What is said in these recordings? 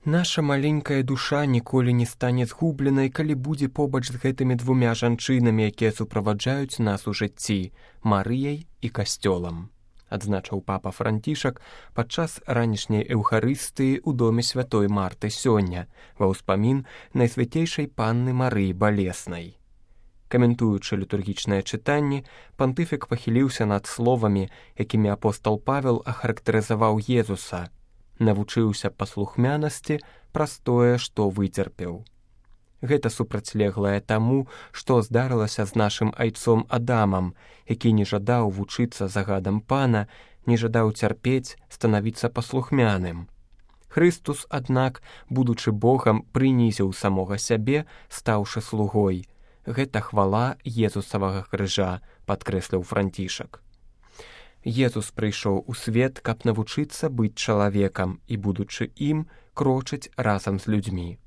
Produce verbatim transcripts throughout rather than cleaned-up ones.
Наша маленькая душа ніколі не стане згубленай, калі будзе побач з гэтымі двумя жанчынамі, якія суправаджаюць нас у жыцці, Марыяй і касцёлам, адзначыў папа Францішак падчас ранішняй эўхарыстыі ў доме святой Марты сёння, ва ўспамін Найсвяцейшай Панны Марыі Балеснай. Каментуючы літургічнае чытанне, пантыфік пахіліўся над словамі, якімі апостол Павел ахарактарызаваў Езуса: «Навучыўся паслухмянасці праз тое, што выцерпеў». Гэта супрацьлеглае таму, што здарылася з нашым айцом Адамам, які не жадаў вучыцца загадам Пана, не жадаў цярпець, станавіцца паслухмяным. Хрыстус, аднак, будучы Богам, прынізіў самога сябе, стаўшы слугой. Гэта хвала Езусавага крыжа, падкрэсліў Францішак. Езус прыйшоў у свет, каб навучыцца быць чалавекам і, будучы ім, крочыць разам з людзьмі.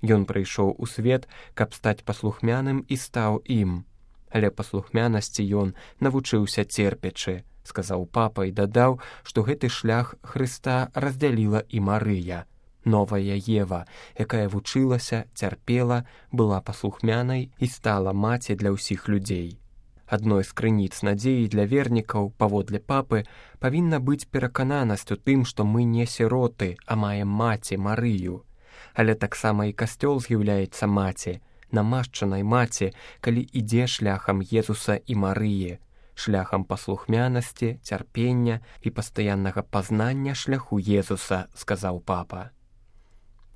Ён прыйшоў у свет, каб стаць паслухмяным і стаў ім. Але паслухмянасці ён навучыўся церпячы, сказаў папа і дадаў, што гэты шлях Хрыста раздзяліла і Марыя, новая Ева, якая вучылася, цярпела, была паслухмянай і стала маці для ўсіх людзей. Адной з крыніц надзеі для вернікаў, паводле папы, павінна быць перакананасць у тым, што мы не сіроты, а маем маці Марыю. Але таксама і касцёл з'яўляецца маці, намашчанай маці, калі ідзе шляхам Езуса і Марыі, шляхам паслухмянасці, цярпення і пастаяннага пазнання шляху Езуса, сказаў папа.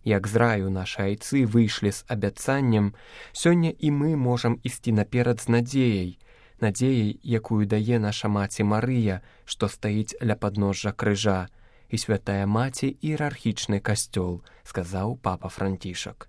Як з раю нашы айцы выйшлі з абяцаннем, сёння і мы можам ісці наперад з надзеяй, надзеяй, якую дае наша маці Марыя, што стаіць ля падножжа крыжа, і святая маці іерархічны касцёл, сказаў папа Францішак.